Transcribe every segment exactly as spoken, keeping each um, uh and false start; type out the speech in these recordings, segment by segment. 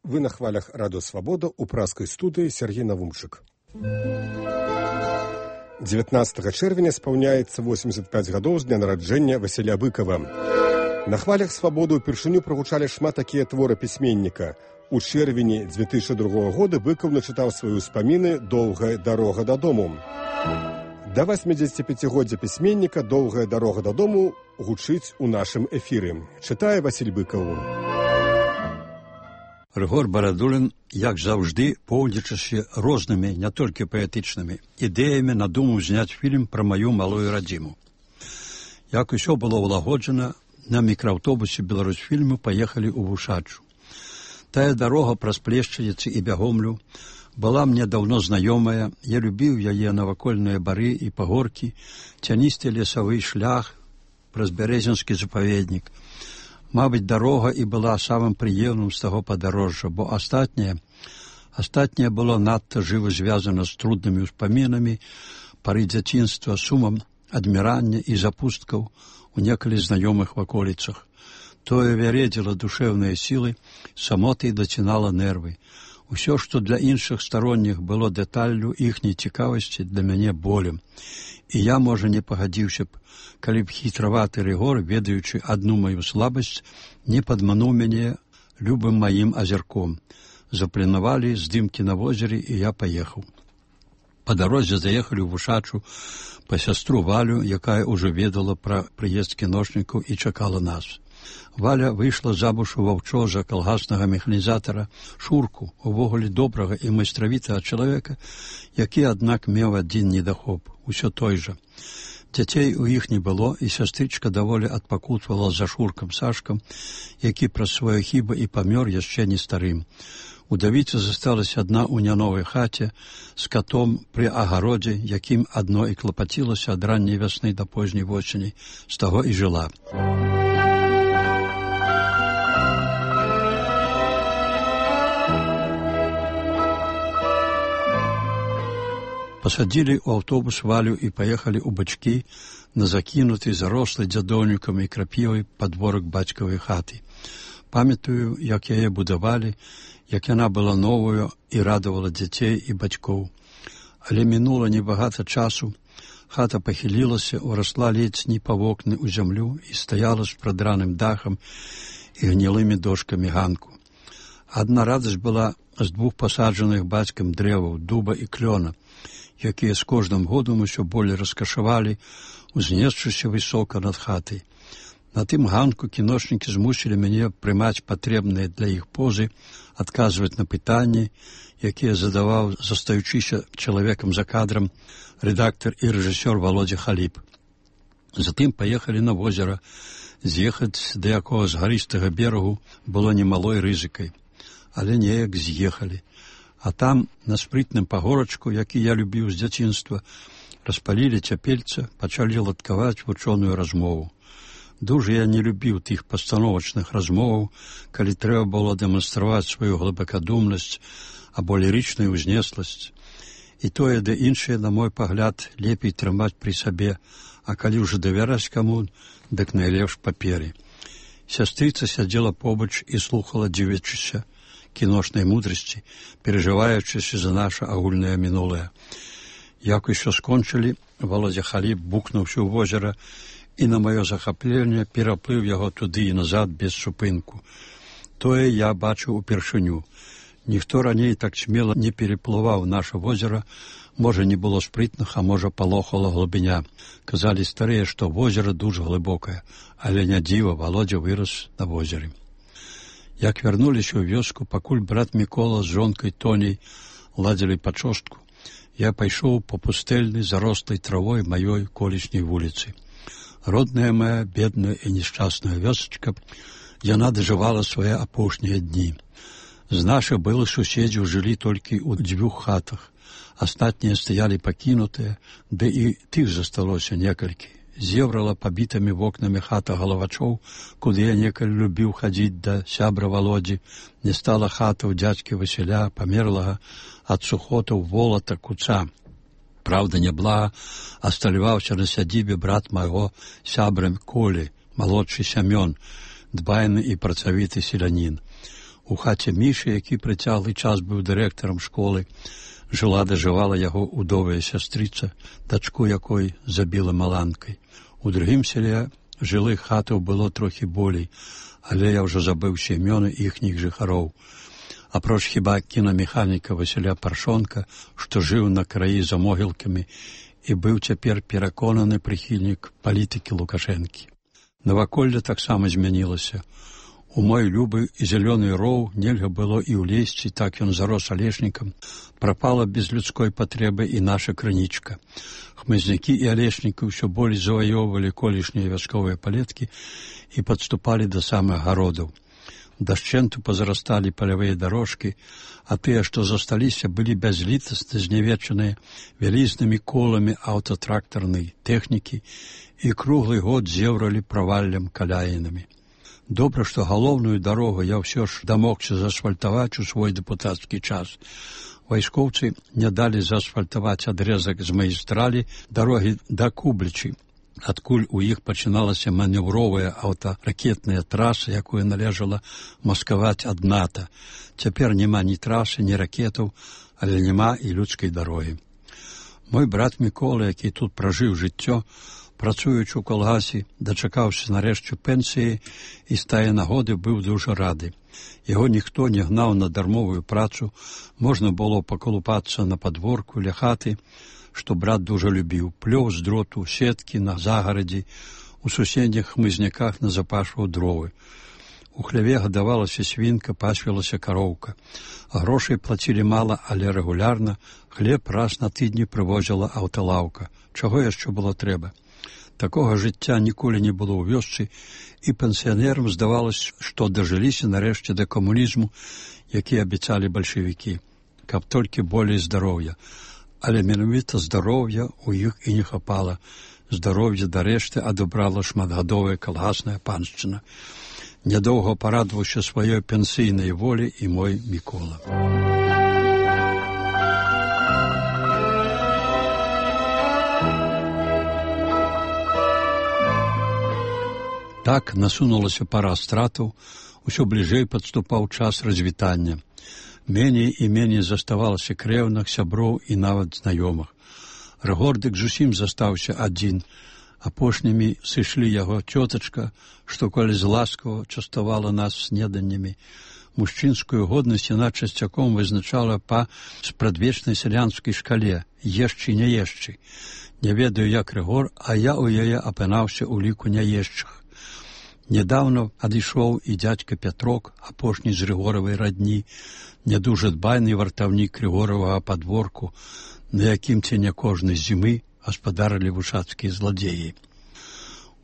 Вы на хвалях Радио Свобода у праскай студыі Сергей Навумчык. дзевятнаццатага чэрвеня спаўняецца восемьдесят пять гадоў з дня нараджэння Васіля Быкова. На хвалях Свабоды ўпершыню прагучалі шмат такія творы пісьменніка. У чэрвені две тысячи другого года Быков начытаў свае ўспаміны «Доўгая дарога дадому». Да восьмидзесятипяцігоддзя пісьменніка «Доўгая дарога дадому» гучыць у нашым эфіры. Чытае Васіль Быкаў. Рыгор Барадулін, як заўжды, поўдзячыся рознымі, не толькі паэтычнымі, ідэямі надумаў зняць фільм пра маю малую радзіму. Як усё было ўлагоджана, на мікрааўтобусе Беларусьфільму паехалі ў Вушачу. Тая дарога праз Плешчаніцы і Бягомлю была мне даўно знаёмая, я любіў яе навакольныя бары і пагоркі, цяністы лесавы шлях праз Бярэзінскі запаведнік. Мабыць, дарога і была самым прыемным з таго падарожжа, бо астатняе, астатняе было надта жыва звязана з труднымі ўспамінамі, пары дзяцінства, сумам адмірання і запусткаў у некалі знаёмых ваколіцах. Тое вяредзіла душэўныя сілы, самотай дацінала нервы. Усё, што для іншых старонніх было дэталлю іхняй цікавасці, для мяне болем. І я, можа, не пагадзіўся б, калі б хітраваты Рыгор, ведаючы адну маю слабасць, не падмануў мяне любым маім азярком. Запланавалі здымкі на возеры, і я паехаў. Па дарозе заехалі ў Вушачу па сястру Валю, якая ўжо ведала пра прыезд кіношнікаў і чакала нас. Валя выйшла замуж у ваўчоза калгаснага механізатара Шурку, увогуле добрага і майстравітага чалавека, які, аднак, меў адзін недахоп, усё той жа. Дзяцей у іх не было, і сястрычка даволі адпакутвала за Шуркам Сашкам, які праз свае хібы і памёр яшчэ не старым. Удавіца засталася адна ў няновай хаце з катом пры агародзе, якім адно і клапацілася ад ранняй вясны да позняй восені, з таго і жыла. Пасадзілі ў аўтобус Валю і паехалі ў бачкі на закінуты зарослы дзядоўнікам і крапівай падворак бацькавай хаты. Памятаю, як яе будавалі, як яна была новую і радавала дзяцей і бацькоў. Але мінула небагата часу, хата пахілілася, урасла ледзь не па вокны ў зямлю і стаяла з прадраным дахам і гнілымі дошкамі ганку. Адна радасць была з двух пасаджаных бацькам дрэваў, дуба і клёна, якія з кожным годам усё болей раскашавалі, узнесшыся высока над хатай. На тым ганку кіношнікі змусілі мяне прымаць патрэбныя для іх позы, адказваць на пытанні, якія задаваў, застаючыся чалавекам за кадрам, рэдактар і рэжысёр Володя Халіп. Затым паехалі на возера. З'ехаць да якога з гарыстага берагу было немалой рызыкай, але неяк з'ехалі. А там, на спрытным пагорачку, які я любіў з дзяцінства, распалілі цяпельца, пачалі ладкаваць вучоную размову. Дужа я не любіў тых пастановачных размоваў, калі трэба было дэманстраваць сваю глыбакадумнасць або лірычную ўзнесласць. І тое, да іншае, на мой пагляд, лепей трымаць пры сабе, а калі ўжо давяраць каму, дык найлепш паперы. Сястрыца сядзела побач і слухала, дзівячыся кіношнай мудрасці, перажываючыся за наша агульнае мінулае. Як усё скончылі, Володя Халіп бухнуўся ў возера і на маё захапленне пераплыў яго туды і назад без супынку. Тое я бачыў упершыню. Ніхто раней так смела не переплываў наша возера, можа, не было спрытных, а можа, палохала глыбіня. Казалі старыя, што возера дуже глыбокае, але не дзіва, Володя вырас на возеры. Як вярнуліся ў вёску, пакуль брат Мікола з жонкай Тоняй ладзілі пачостку, я пайшоў па пустэльнай зарослай травой маёй колішняй вуліцы. Родная моя, бедная і нешчасная вёсачка, яна дажывала свае апошнія дні. З нашых былых суседзяў жылі толькі ў дзвюх хатах. Астатнія стаялі пакінутыя, ды і тых засталося некалькі. Зеврала пабітымі вокнамі хата галавачоў, куды я некалі любіў хадзіць да сябра Володзі. Не стала хата ў дзядзькі Васіля, памерлага ад сухотаў волата куца. Праўда, няблага асталяваўся на сядзібе брат майго сябра Колі, малодшы Сямён, дбайны і працавіты селянін. У хаце Мішы, які прыцяглы час быў дырэктарам школы, жыла дажывала яго удовая сястрыца, дачку якой забіла маланкай. У другім селе жылых хатаў было трохі болей, але я ўжо забыўся імёны іхніх жыхароў. Апроч хіба кінамеханіка Васіля Паршонка, што жыў на краі за могілкамі і быў цяпер пераконаны прыхільнік палітыкі Лукашэнкі. Наваколле таксама змянілася. У мой любы і зялёны роў нельга было і ўлезці, так ён зарос алешнікам. Прапала без людской патрэбы і наша крынічка. Хмызнякі і алешнікі ўсё болей заваёўвалі колішнія вясковыя палеткі і падступалі да самых гародаў. Дашчэнту пазарасталі палявыя дарожкі, а тыя, што засталіся, былі бязлітасна знявечаныя вялізнымі коламі аўтатрактарнай тэхнікі і круглы год зеўралі праваллем каляінамі. Добра, што галоўную дарогу я ўсё ж дамогся заасфальтаваць у свой дэпутацкі час. Вайскоўцы не далі заасфальтаваць адрэзак з магістралі дарогі да Кублічы, адкуль у іх пачыналася манеўровая аўтаракетная траса, якую належала маскаваць ад НАТО. Цяпер няма ні трасы, ні ракетаў, але няма і людскай дарогі. Мой брат Мікола, які тут пражыў жыццё, працуючы ў калгасе, дачакаўся нарэшце пенсіі і з тае нагоды быў дужа рады. Яго ніхто не гнаў на дармовую працу, можна было паколупацца на падворку ля хаты, што брат дужа любіў, плёў з дроту, сеткі на загарадзі, у суседніх хмызняках назапашваў дровы. У хляве гадавалася свінка, пасвілася кароўка. Грошай плацілі мала, але рэгулярна, хлеб раз на тыдні прывозіла аўталаўка. Чаго яшчэ было трэба? Такога жыцця ніколі не было ў вёсцы, і пенсіянерам здавалось, што дажыліся нарэшце да камунізму, які абяцалі бальшавікі, каб толькі болей здароўя. Але менавіта здароўя ў іх і не хапала. Здароўя дарэшты адабрала шматгадовая калгасная паншчына. Нядоўга парадаваўся сваёй пенсійнай волі і мой Мікола. Так насунулася пара стратаў, усё бліжэй падступаў час развітання. Меней і меней заставалася крэўных, сяброў і нават знаёмых. Рыгордык зусім застаўся адзін. Апошнімі сышлі яго цётачка, што коли зласкава частавала нас снеданнямі. Мужчынскую годнасць яна часцяком вызначала па спрадвечнай сялянскай шкале «ешчы, не ешчы». Не ведаю, як Рыгор, а я ў яе апынаўся ў ліку няешчых. Нядаўна адышоў і дзядзька Пятрок, апошні з Рыгоравай радні, не дужа дбайны вартаўнік Рыгоравага падворку, на якім ці не кожнай зімы гаспадарылі вушацкія зладзеі.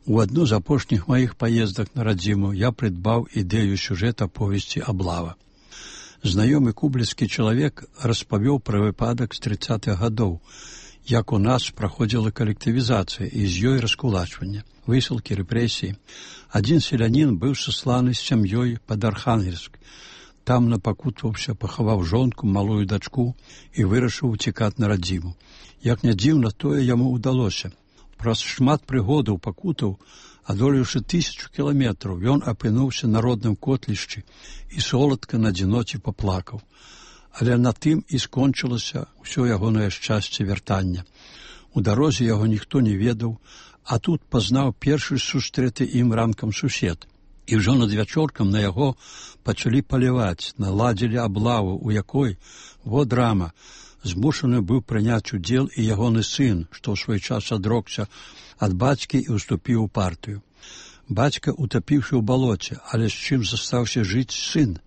У адну з апошніх маіх паездак на радзіму я прыдбаў ідэю сюжэта повесці «Аблава». Знаёмы кубліцкі чалавек распавёў пра выпадак з трыццатых гадоў, як у нас праходзіла калектывізацыя і з ёй раскулачванне, высылкі, рэпрэсіі. Адзін селянін быў сасланы з сям'ёй пад Архангельск. Там напакутваўся, пахаваў жонку, малую дачку і вырашыў уцікаць на радзіму. Як не дзіўна, тое яму ўдалося. Праз шмат прыгодаў пакутаў, адолеўшы тысячу кіламетраў, ён апынуўся на родным котлішчы і соладка на адзіноце паплакаў. Але на тым і скончылася ўсё ягонае шчасце вяртання. У дарозе яго ніхто не ведаў, а тут пазнаў першы сустрэты ім ранкам сусед. І ўжо над вячоркам на яго пачалі паліваць, наладзілі аблаву, у якой, во драма, змушаны быў прыняць удзел і ягоны сын, што ў свой час адрокся ад бацькі і ўступіў у партыю. Бацька утапіўся ў балоце, але з чым застаўся жыць сын?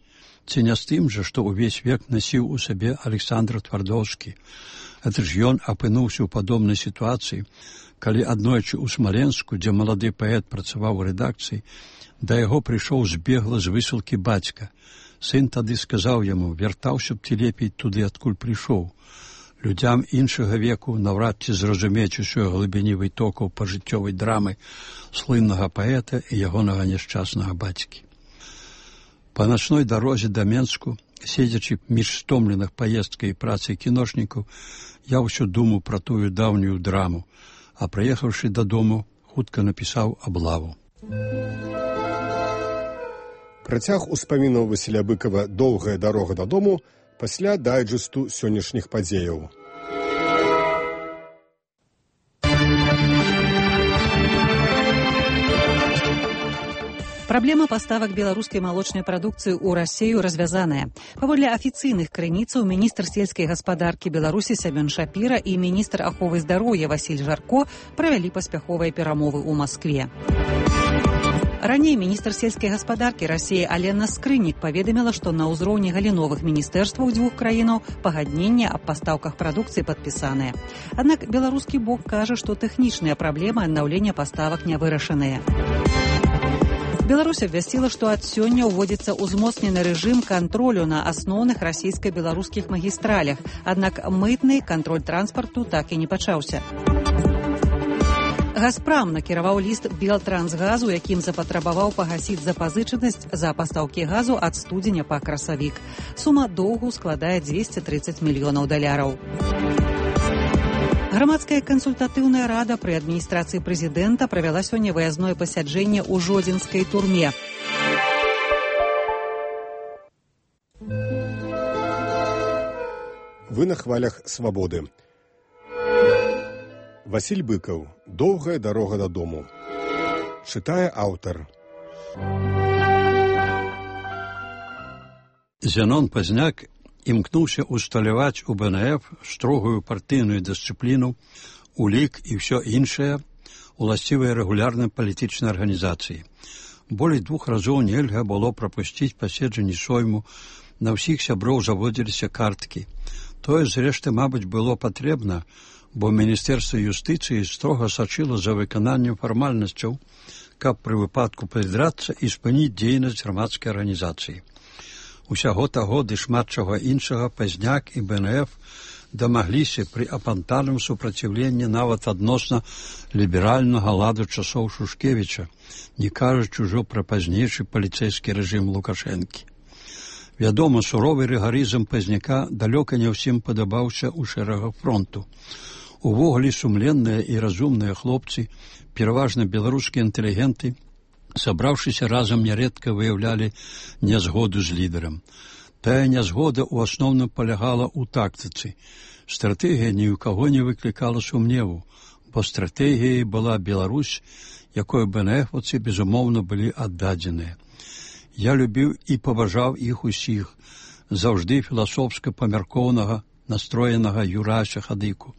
Ці не з тым жа, што ўвесь век насіў у сабе Александр Твардоўскі. Гэта ж ён апынуўся ў падобнай сітуацыі, калі аднойчы ў Смаленску, дзе малады паэт працаваў у рэдакцыі, да яго прыйшоў збегла з высылкі бацька. Сын тады сказаў яму: «Вяртаўся б ты лепей туды, адкуль прыйшоў». Людзям іншага веку наўрад ці зразумець усёй глыбіні вытокаў пажыццёвай драмы слыннага паэта і ягонага няшчаснага бацькі. Па начной дарозе да Менску, седзячы між стомленых паездкай і працай кіношнікаў, я ўсё думаў пра тую даўнюю драму, а прыехаўшы дадому, хутка напісаў «Аблаву». Працяг успамінаў Васіля Быкава «Доўгая дарога дадому» пасля дайджэсту сённяшніх падзеяў. Праблема паставак беларускай малочнай прадукцыі ў Расею развязаная. Паводле афіцыйных крыніцаў, міністр сельскай гаспадаркі Беларусі Сямён Шапіра і міністр аховы здароўя Васіль Жарко правялі паспяховыя перамовы ў Маскве. Раней міністр сельскай гаспадаркі Расеі Алена Скрынік паведаміла, што на ўзроўні галіновых міністэрстваў дзвюх краінаў пагадненне аб пастаўках прадукцыі падпісаныя. Аднак беларускі бок кажа, што тэхнічныя праблемы аднаўлення паставак не вырашаныя. Беларусь абвясціла, што ад сёння ўводзіцца ўзмоцнены рэжым кантролю на асноўных расійска-беларускіх магістралях, аднак мытны кантроль транспарту так і не пачаўся. Газпрам накіраваў ліст Белтрансгазу, якім запатрабаваў пагасіць запазычанасць за пастаўкі газу ад студзеня па красавік. Сума доўгу складае дзвесце трыццаць мільёнаў даляраў. Грамадская кансультатыўная рада пры адміністрацыі прэзідэнта правяла сёння выязное пасяджэнне ў Жодзінскай турме. Вы на хвалях свабоды. Васіль Быкаў. «Доўгая дарога дадому». Чытае аўтар. Зянон Пазняк імкнуўся усталяваць у БНФ строгую партыйную дысцыпліну, улік і ўсё іншае, уласцівыя рэгулярнай палітычнай арганізацыі. Болей двух разоў нельга было прапусціць паседжанні сойму, на ўсіх сяброў заводзіліся карткі. Тое, зрэшты, мабыць, было патрэбна, бо Міністэрства юстыцыі строга сачыла за выкананнем фармальнасцяў, каб пры выпадку прыдрацца і спыніць дзейнасць грамадскай арганізацыі. Усяго таго ды шмат чаго іншага Пазняк і БНФ дамагліся пры апантаным супраціўленні нават адносна ліберальнага ладу часоў Шушкевіча, не кажучы ўжо пра пазнейшы паліцэйскі рэжым Лукашэнкі. Вядома, суровы рыгарызм Пазняка далёка не ўсім падабаўся ў шэрагах фронту. Увогуле сумленныя і разумныя хлопцы, пераважна беларускія інтэлігенты, сабраўшыся разам, нярэдка выяўлялі нязгоду з лідарам. Тая нязгода ў асноўным палягала ў тактыцы. Стратэгія ні ў каго не выклікала сумневу, бо стратэгіяй была Беларусь, якой БНФаўцы, безумоўна, былі аддадзеныя. Я любіў і паважаў іх усіх, заўжды філасофска памяркоўнага, настроенага Юрася Хадыку,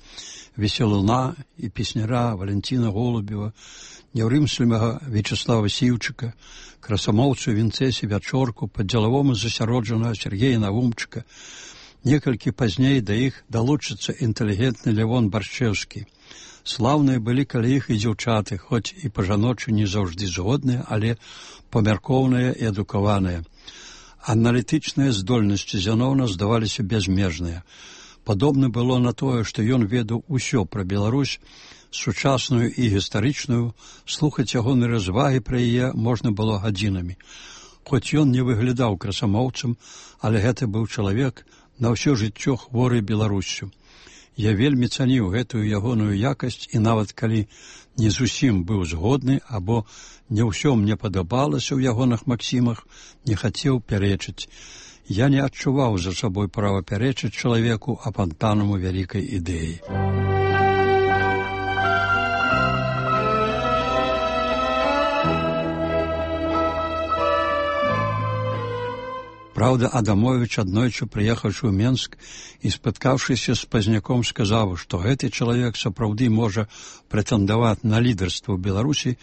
весялуна і песняра Валентина Голубева, няўрымслівага Вячеслава Сіўчыка, красамоўцу Вінцэсі Вячорку, па-дзелавому засяроджанага Сергея Навумчыка. Некалькі пазней да іх далучыцца інтэлігентны Лявон Баршчэўскі. Слаўныя былі каля іх і дзяўчаты, хоць і па-жаночы не заўжды згодныя, але памяркоўныя і адукаваныя. Аналітычныя здольнасці Зяноўна здаваліся бязмежныя. Падобна было на тое, што ён ведаў усё пра Беларусь, сучасную і гістарычную, слухаць ягоныя развагі пра яе можна было гадзінамі. Хоць ён не выглядаў красамоўцам, але гэта быў чалавек на ўсё жыццё хворы Беларуссю. Я вельмі цаніў гэтую ягоную якасць і нават калі не зусім быў згодны або не ўсё мне падабалася ў ягоных максімах, не хацеў пярэчыць. Я не адчуваў за сабой права пярэчыць чалавеку апантанаму вялікай ідэі. Праўда, Адамовіч, аднойчы прыехаўшы ў Менск і спаткаўшыся з Пазняком, сказаў, што гэты чалавек сапраўды можа прэтэндаваць на лідарства ў Беларусі,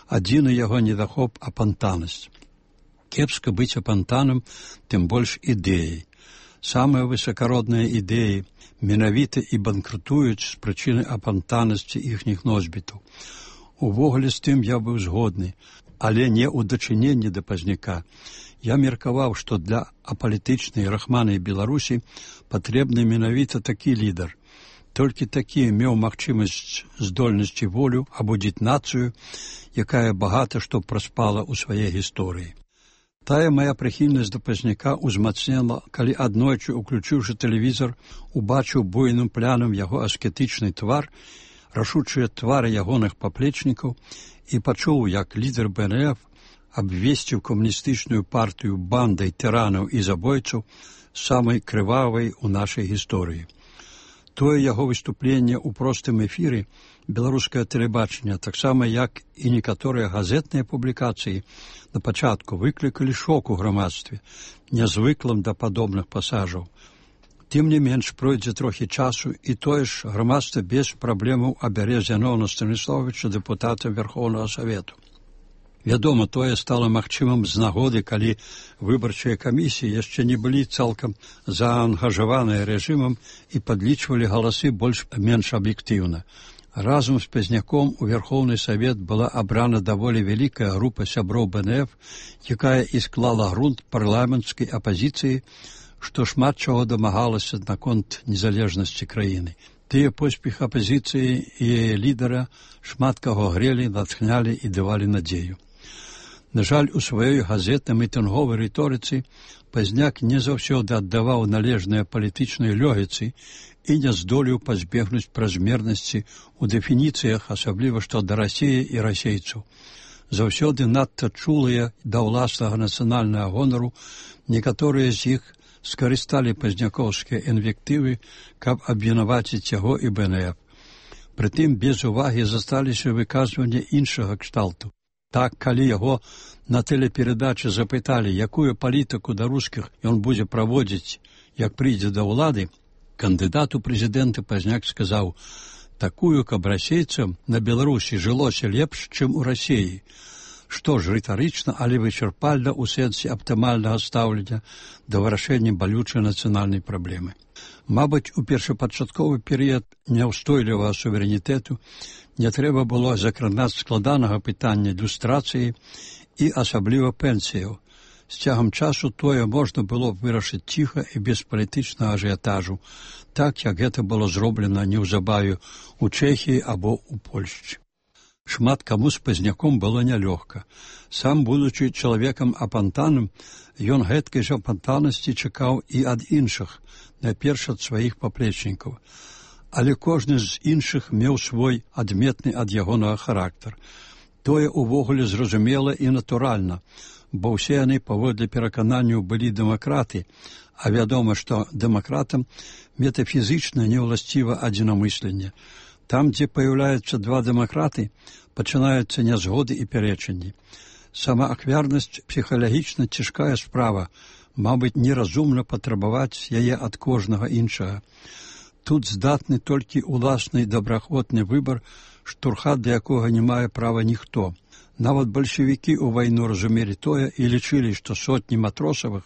адзіны яго недахоп апантанасць. Кепска быць апантаным, тым больш ідэяй. Самыя высакародныя ідэі менавіта і банкрутуюць з прычыны апантанасці іхніх носьбітаў. Увогуле з тым я быў згодны, але не ў дачыненні да Пазняка. Я меркаваў, што для апалітычнай рахманай Беларусі патрэбны менавіта такі лідар. Толькі такі меў магчымасць здольнасці волю абудзіць нацыю, якая багата што праспала ў сваёй гісторыі. Тая мая прыхільнасць да Пазняка ўзмацнела, калі аднойчы, уключыўшы тэлевізор, убачыў буйным плянам яго аскетычны твар, рашучыя твары ягоных паплечнікаў і пачуў, як лідар БНФ абвесціў камуністычную партыю бандай тыранаў і забойцаў самай крывавай у нашай гісторыі. Тое яго выступленне ў простым эфіры беларускае тэлебачанне, таксама як і некаторыя газетныя публікацыі на пачатку выклікалі шок у грамадстве, нязвыклым да падобных пасажаў. Тым не менш, пройдзе трохі часу, і тое ж грамадства без праблемаў абярэ Зяноўна Станіславовича дэпутатам Верхоўнага Савету. Вядома, тое стала магчымым з нагоды, калі выбарчыя камісіі яшчэ не былі цалкам заангажаваныя рэжымам і падлічвалі галасы больш-менш аб'ектыўна. Разам з Пазняком у Верхоўны Савет была абрана даволі вялікая група сяброў бэ эн эф, якая і склала грунт парламенцкай апазіцыі, што шмат чаго дамагалася наконт незалежнасці краіны. Тыя поспех апазіцыі і яе лідара шмат каго грелі, натхнялі і давалі надзею. На жаль, у сваёй газетна-мітынговай рыторыцы Пазняк не заўсёды аддаваў належныя палітычнай лёгіцы і не здолеў пазбегнуць празмернасці ў дэфініцыях, асабліва што да Расіі і расейцаў. Заўсёды надта чулыя да ўласнага нацыянальнага гонару, некаторыя з іх скарысталі пазнякоўскія інвектывы, каб абвінаваціць яго і бэ эн эф. Прытым без увагі засталіся выказванні іншага кшталту. Так, калі яго на тэлеперадачы запыталі, якую палітыку да рускіх ён будзе праводзіць, як прыйдзе да ўлады, кандыдат у прэзідэнты Пазняк сказаў: такую, каб расейцам на Беларусі жылося лепш, чым у Расіі. Што ж, рытарычна, але вычарпальна ў сэнсе аптымальнага стаўлення да вырашэння балючай нацыянальнай праблемы. Мабыць, у першапачатковы перыяд няўстойлівага суверэнітэту не трэба было закранаць складанага пытання люстрацыі і асабліва пенсіяў. З цягам часу тое можна было вырашыць ціха і без палітычнага ажыятажу, так як гэта было зроблена неўзабаве ў Чэхіі або ў Польшчы. Шмат каму з Пазняком было нялёгка. Сам, будучы чалавекам апантаным, ён гэткай жа апантанасці чакаў і ад іншых, найперш ад сваіх паплечнікаў. Але кожны з іншых меў свой адметны ад ягонага характар. Тое ўвогуле зразумела і натуральна, бо ўсе яны паводле перакананняў былі дэмакраты, а вядома, што дэмакратам метафізычна неўласціва адзінамысленне. Там, дзе паяўляюцца два дэмакраты, пачынаюцца нязгоды і пярэчанні. Сама ахвярнасць псіхалагічна цяжкая справа, мабыць, неразумна патрабаваць яе ад кожнага іншага. Тут здатны толькі уласны добраахвотны выбар, штурхат да якога не мае права ніхто. Нават бальшавікі ў вайну разумелі тое і лічылі, што сотні матросавых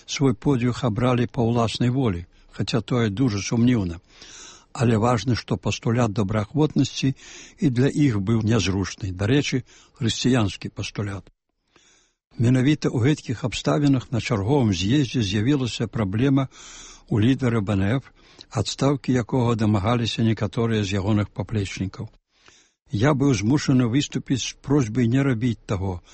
свой подвиг абралі па ўласнай волі, хаця тое дужа сумнеўна. Але важна, што пастулят добраахвотнасці і для іх быў нязручны, дарэчы, хрысціянскі пастулят. Менавіта ў гэткіх абставінах на чарговым з'ездзе з'явілася праблема у лідара бэ эн эф, адстаўкі якога дамагаліся некаторыя з ягоных паплечнікаў. Я быў змушаны выступіць з просьбай не рабіць таго,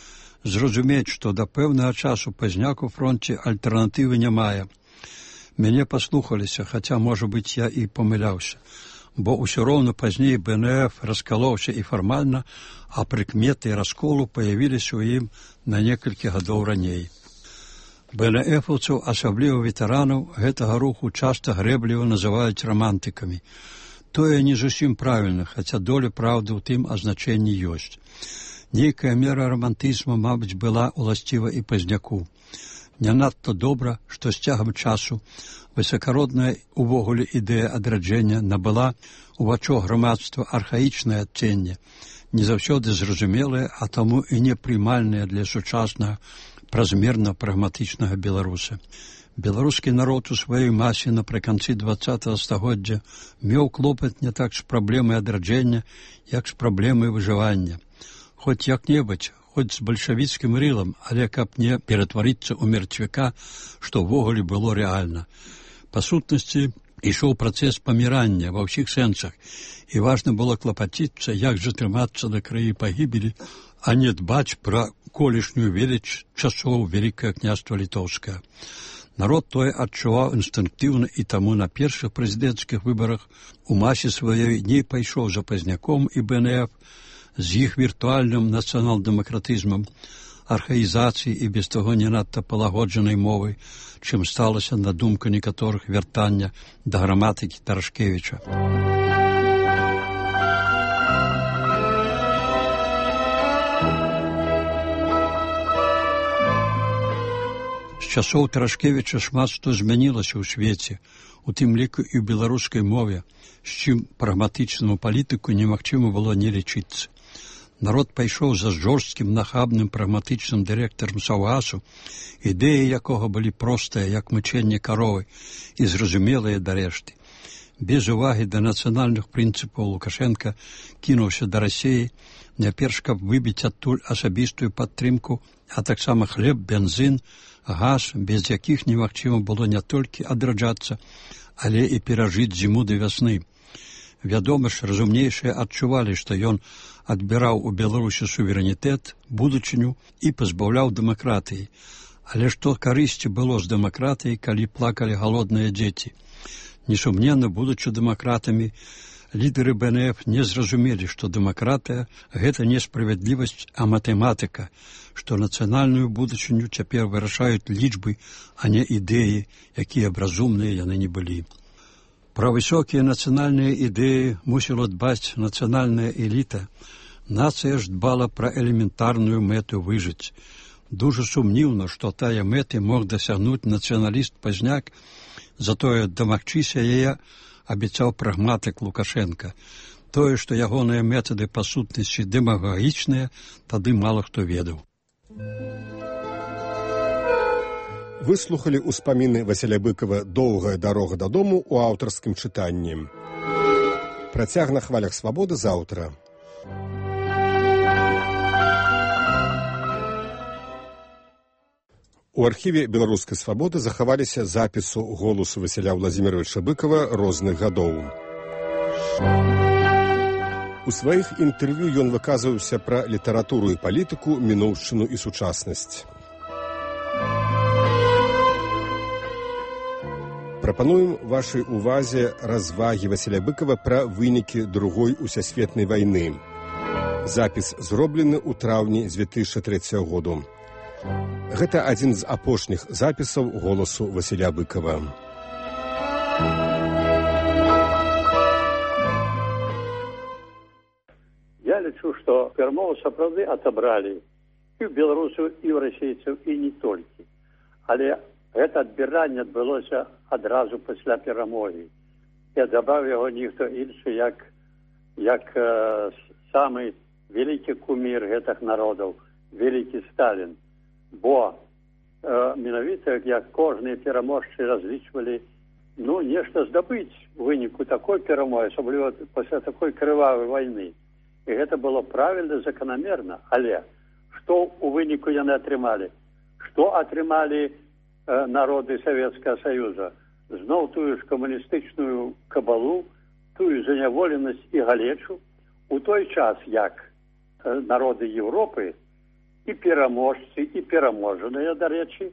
зразумець, што да пэўнага часу Пазняк у фронце альтэрнатывы не мае. Мяне паслухаліся, хаця, можа быць, я і памыляўся, бо ўсё роўна пазней бэ эн эф раскалоўся і фармальна, а прыкметы расколу паявіліся ў ім на некалькі гадоў раней. бэ эн эфаўцаў, асабліва ветэранаў, гэтага руху часта грэбліва называюць рамантыкамі. Тое не зусім правільна, хаця доля праўды ў тым азначэнні ёсць. Нейкая мера рамантызму, мабыць, была ўласціва і Пазняку. Не надта добра, што з цягам часу высакародная увогуле ідэя адраджэння набыла у вачах грамадства архаічнае адценне, не заўсёды зразумелае, а таму і непрымальнае для сучаснага празмерна прагматычнага беларуса. Беларускі народ у сваёй масе напрыканцы дваццатага стагоддзя меў клопат не так з праблемай адраджэння, як з праблемай выжывання. Хоць як-небудзь, хоць з бальшавіцкім рылам, але каб не ператварыцца ў мертвяка, што ўвогуле было рэальна. Па сутнасці, ішоў працэс памірання ва ўсіх сэнсах, і важна было клапаціцца, як затрымацца да краі пагібелі, а не дбаць пра колішнюю веліч часоў Вялікае княства Літоўскае. Народ тое адчуваў інстынктыўна, і таму на першых прэзідэнцкіх выбарах у масе сваёй не пайшоў за Пазняком і бэ эн эф з іх віртуальным нацыянал-дэмакратызмам, архаізацыі і без таго не надта палагоджанай мовы, чым сталася, на думку некаторых, вяртання да граматыкі Тарашкевіча. З часоў Тарашкевіча шмат што змянілася ў свеце, у тым ліку і ў беларускай мове, з чым прагматычнаму палітыку немагчыма было не лічыцца. Народ пайшоў за жорсткім, нахабным, прагматычным дырэктарам Саўгасу, ідэі якога былі простыя, як мычэнне каровы, і зразумелыя да рэшты. Без увагі да нацыянальных прынцыпаў Лукашенка кінуўся да Расіі, найперш, каб выбіць адтуль асабістую падтрымку, а таксама хлеб, бензін, газ, без якіх немагчыма было не толькі адраджацца, але і перажыць зіму да вясны. Вядома ж, разумнейшыя адчувалі, што ён адбіраў у Беларусі суверэнітэт, будучыню і пазбаўляў дэмакратыі. Але што карысці было з дэмакратыяй, калі плакалі галодныя дзеці? Несумненна, будучы дэмакратамі, лідары бэ эн эф не зразумелі, што дэмакратыя – гэта не справядлівасць, а матэматыка, што нацыянальную будучыню цяпер вырашаюць лічбы, а не ідэі, якія б разумныя яны не былі. Пра высокія нацыянальныя ідэі мусіла дбаць нацыянальная эліта. Нацыя ж дбала пра элементарную мэту выжыць. Дужа сумніўна, што тая мэты мог дасягнуць нацыяналіст-пазняк, затое дамагчыся яе абяцаў прагматык Лукашенка. Тое, што ягоныя метады па сутнасці дэмагагічныя, тады мала хто ведаў. Выслухалі ўспаміны Васіля Быкава «Доўгая дарога дадому» у аўтарскім чытанні. Працяг на хвалях свабоды заўтра. У архіве беларускай свабоды захаваліся запісу голасу Васіля Владзіміровича Быкава розных гадоў. У сваіх інтэрв'ю ён выказваўся пра літаратуру і палітыку, мінуўшчыну і сучаснасць. Прапануем вашай увазе развагі Васіля Быкава пра вынікі другой усесветнай вайны. Запіс зроблены ў траўні дзве тысячы трэцяга году. Гэта адзін з апошніх запісаў голасу Васіля Быкава. Я лічу, што перамову сапраўды адабралі і ў беларусаў, і ў расейцаў, і не толькі. Але гэта адбіранне адбылося адразу пасля перамогі. І адабраў яго ніхто іншы, як, як э, самы вялікі кумір гэтых народаў, вялікі Сталін. Бо э, менавіта, як кожныя пераможцы разлічвалі, ну, нешта здабыць у выніку такой перамогі, асабліва пасля такой крывавай вайны. І гэта было правільна, заканамерна. Але што у выніку яны атрымалі? Што атрымалі народы Савецкага Саюза? Зноў тую ж камуністычную кабалу, тую заняволенасць і галечу, у той час, як народы Европы і пераможцы, і пераможаныя, дарэчы,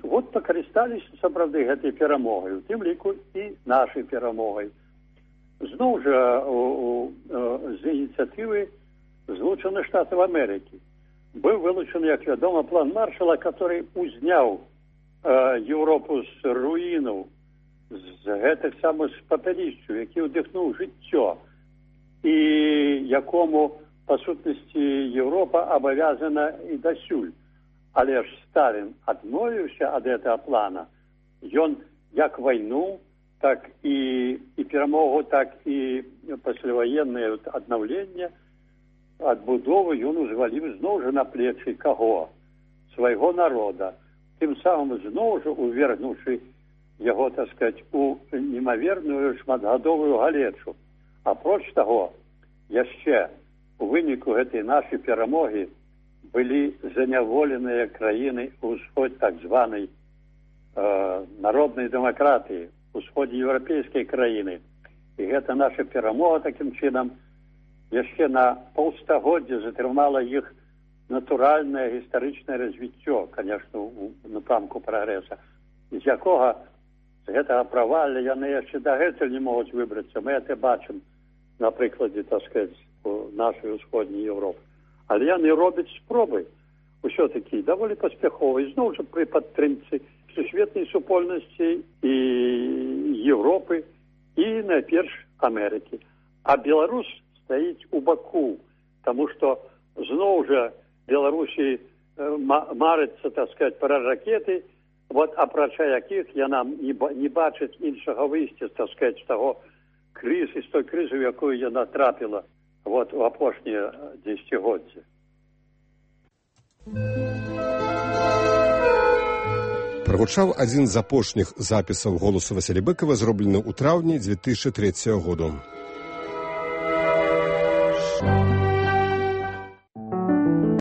вот пакарысталіся сапраўды гэтай перамогай, у тым ліку і нашай перамогай. Зноў жа у, у, з ініцыятывы Злучаных Штатаў Амерыкі быў вылучаны, як вядома, план Маршала, который узняў Европу з руінаў, з гэтых самых папялішчаў, які ўдыхнуў жыццё, і якому, па сутнасці, Европа абавязана і дасюль. Але ж Сталін адмовіўся ад гэтага плана. Ён як вайну, так і, і перамогу, так і пасляваеннае аднаўленне, адбудову ён узваліў зноў жа на плечы каго? Свайго народа. Тым самым зноў жа увергнуўшы яго, так сказаць, у немаверную шматгадовую галечу. Апроч таго, яшчэ у выніку гэтай нашай перамогі былі заняволеныя краіны ўсход так званай э, народнай дэмакратыі, усходнееўрапейскай краіны. І гэта наша перамога такім чынам яшчэ на паўстагоддзя затрымала іх натуральнае гістарычнае развіццё, конечно, у напрамку прагрэса, з якога з гэтага правалля яны яшчэ дагэтуль не могуць выбрацца. Мы гэта бачым на прыкладзе, так сказаць, нашай усходняй Европы. Але яны робяць спробы. ўсё-такі даволі паспяховы, зноў жа пры падтрымцы сусветнай супольнасці і Европы, і найперш Амерыкі. А Беларусь стаіць у баку, таму што зноў жа Беларусі марыцца, так сказать, пра ракеты, вот, апрача якіх яна не, не бачыць іншага выйсця, так сказать, з таго крызы, з той крызы, в якую яна трапіла вот, у апошнія дзесяцігоддзі. Прагучаў адзін з апошніх запісаў голасу Васіля Быкова, зроблены ў траўні дзве тысячы трэцяга году.